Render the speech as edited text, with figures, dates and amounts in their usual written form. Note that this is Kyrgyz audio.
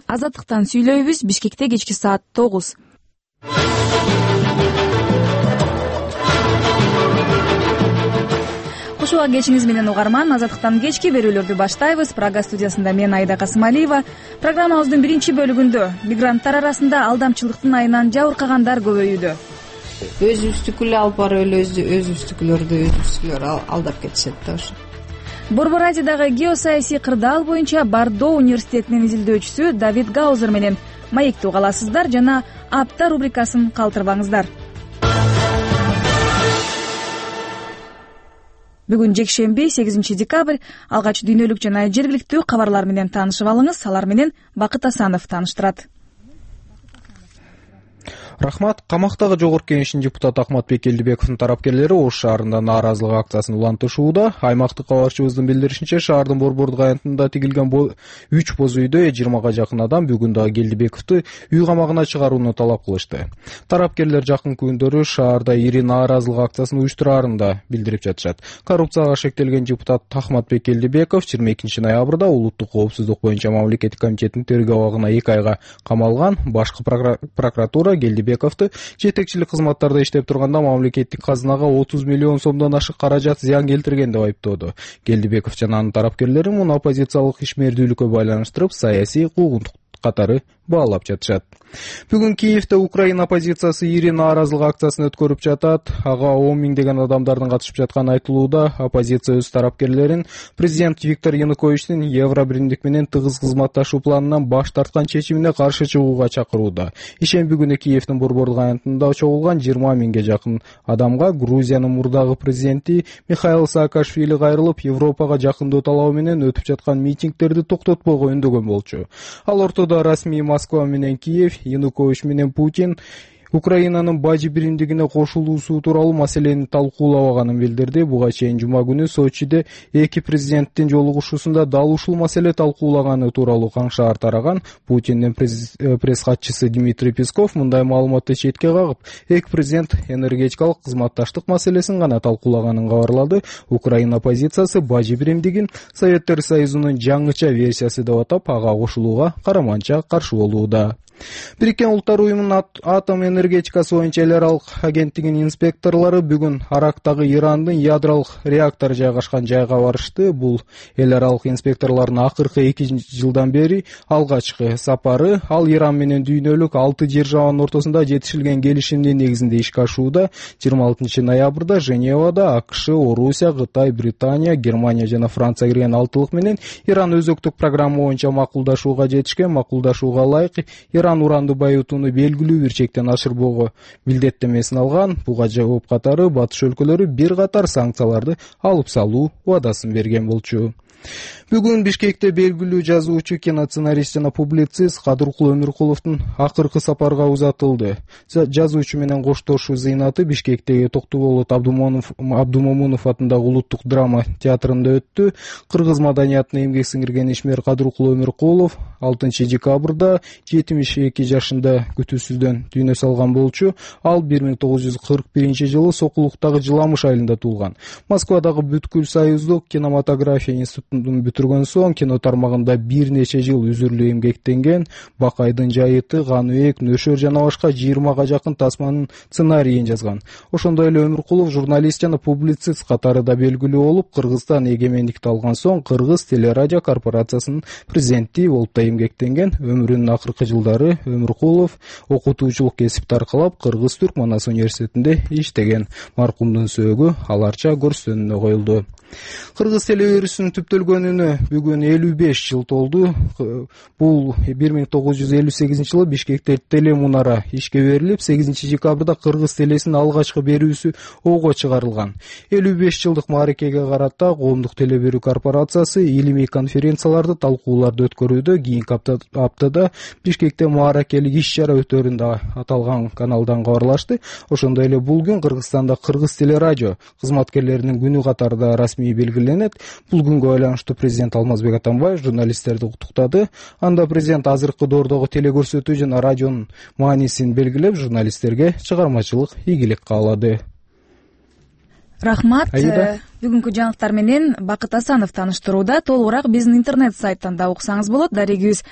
Азаттыктан сүйлөйбүз. Бишкекте кечки саат 9. Кош убак кечиңиз менен угарман. Азаттыктан кечки берүүлөрдү баштайбыз. Прага студиясында мен Айда Касымалиева. Программабыздын биринчи бөлүгүндө мигранттар арасында алдамчылыктын айынан жабыркагандар көбөйүүдө. Өзүбүздүкү эле алып барып эле өзүбүздүкүлөр алдап кетишет да ошо. Борбор Азиядагы геосаясий кырдаал боюнча Бардо университетинин изилдөөчүсү Давид Гаузер менен маекти угаласыздар жана апта рубрикасын калтырбаңыздар. Бүгүн жекшемби 8 декабрь. Алгач дүйнөлүк жана жергиликтүү кабарлар менен таанышып алыңыз. Алар менен Бакыт Асанов тааныштырат. Рахмат. Камактагы жогорку кеңештин депутаты Ахматбек Келдибековдун тарапкерлери Ош шаарында нааразылык акциясын улантышууда. Аймактык кабарчыбыздын билдиришинче, шаардын Борбордук аянтында тигилген 3 боз үйдө 20га жакын адам бүгүн дагы Келдибековду үй камагына чыгарууну талап кылышты. Тарапкерлер жакын күндөрү шаарда ири нааразылык акциясын уюштурарын да билдирип жатышат. Коррупцияга шектелген депутат Ахматбек Келдибеков 22 ноябрда улуттук коопсуздук боюнча мамлекеттик комитеттин тергөө абагына 2 айга камалган. Башкы прокуратура Келдибековду жетекчилик кызматтарда иштеп турганда мамлекеттик казынага 30 миллион сомдон ашык каражат зыян келтирген деп айыптоодо. Келдибеков жана анын тарапкерлери муну оппозициялык ишмердүүлүккө байланыштырып, саясий куугунтук катары баалап жатышат. Бүгүн Киевде Украина оппозициясы ири нааразылык акциясын өткөрүп жатат. Ага 10 миңдеген адамдардын катышып жатканы айтылууда. Оппозиция өз тарапкерлерин президент Виктор Януковичтин Евробиримдик менен тыгыз кызматташуу планынан баш тарткан чечимине каршы чыгууга чакырууда. Ишемби күнү Киевдин Борбордук аянтында чогулган 20 миңге жакын адамга Грузиянын мурдагы президенти Михаил Саакашвили кайрылып, Европага жакындоо талабы менен өтүп жаткан митингдерди токтотпоого үндөгөн болчу. Ал ортодо расмий Москва менен Киев, Янукович менен Путин Украинанын бажы биримдигине кошулуусу тууралуу маселени талкуулабаганын билдирди. Буга чейин жума күнү Сочиде эки президенттин жолугушуусунда дал ушул маселе талкуулаганы тууралуу каңшаар тараган. Путиндин пресс-катчысы Дмитрий Песков мындай маалыматты четке кагып, эки президент энергетикалык кызматташтык маселесин гана талкуулаганын кабарлады. Украина оппозициясы бажы биримдигин Советтер Союзунун жаңыча версиясы деп атап, ага кошулууга караманча каршы болууда. Бириккен Улуттар уюмунун атом энергетикасы боюнча эл аралык агенттигинин инспекторлору бүгүн Арактагы Ирандын ядролук реактору жайгашкан жайга барышты. Бул эл аралык инспекторлордун акыркы 2 жылдан бери алгачкы сапары. Ал Иран менен дүйнөлүк 6 жер жабанын ортосунда жетишилген келишимдин негизинде ишке ашууда. 26 ноябрда Женевада АКШ, Орусия, Кытай, Британия, Германия жана Франция кирген алтылык менен Иран өзөктүк программа боюнча макулдашууга жетишкен. Макулдашууга ылайык Иран уранды байытууну белгилүү бир чектен ашырбоого милдеттемесин алган. Буга жооп катары батыш өлкөлөрү бир катар санкцияларды алып салуу убадасын берген болчу. Бүгүн Бишкекте белгилүү жазуучу, киносценарист жана публицист Кадыркул Өмүркуловдун акыркы сапарга узатылды. Жазуучу менен коштошуу зыйнаты Бишкектеги Токтуболот Абдумомунов атындагы улуттук драма театрында өттү. Кыргыз маданиятына эмгек сиңирген ишмер Кадыркул Өмүркулов 6 декабрда 72 жашында күтүүсүздөн дүйнө салган болчу. Ал 1941 жылы Сокулуктагы Жыламыш айылында туулган. Москвадагы бүткүл союздук кинематография институтун бүтүргөн соң кино тармагында бир нече жыл үзүрлүү эмгектенген. Бакайдын жайыты, Каныбек, Нөшөр жана башка 20га жакын тасманын сценарийин жазган. Ошондой эле Өмүркулов журналист жана публицист катары да белгилүү болуп, Кыргызстан эгемендикти алган соң Кыргыз телерадио корпорациясынын президенти болуп да эмгектенген. Өмүрүнүн акыркы жылдары Өмүркулов окутуучулук кесипти аркалап Кыргыз-Түрк Манас университетинде иштеген. Маркумдун сөөгү аларча көрсөтүүнүнө коюлду. Кыргыз телевирусунун түптөлгөнүнө бүгүн 55 жыл толду. Бул 1958 жылы Бишкекте телемунара ишке берилип, 8 декабрда Кыргыз телесинин алгачкы берүүсү ого чыгарылган. 55 жылдык мааракеге карата коомдук теле берүү корпорациясы илимий конференцияларды, талкууларды өткөрүүдө. Кийинки аптада Бишкекте мааракелик иш-чара өтөрүн да аталган каналдан кабарлашты. Ошондой эле бул күн Кыргызстанда Кыргыз телерадио кызматкерлеринин күнү катарында расмий белгиленет. Бул күнгө байланыштуу президент Алмазбек Атамбаев журналисттерди куттуктады. Анда президент азыркы доордогу телекөрсөтүү жана радионун маанисин белгилеп, журналисттерге чыгармачылык ийгилик каалады. Рахмат. Бүгүнкү жаңылыктар менен Бакыт Асанов тааныштырууда. Толугураак биздин интернет сайттан да уксаңыз болот. Дарегибиз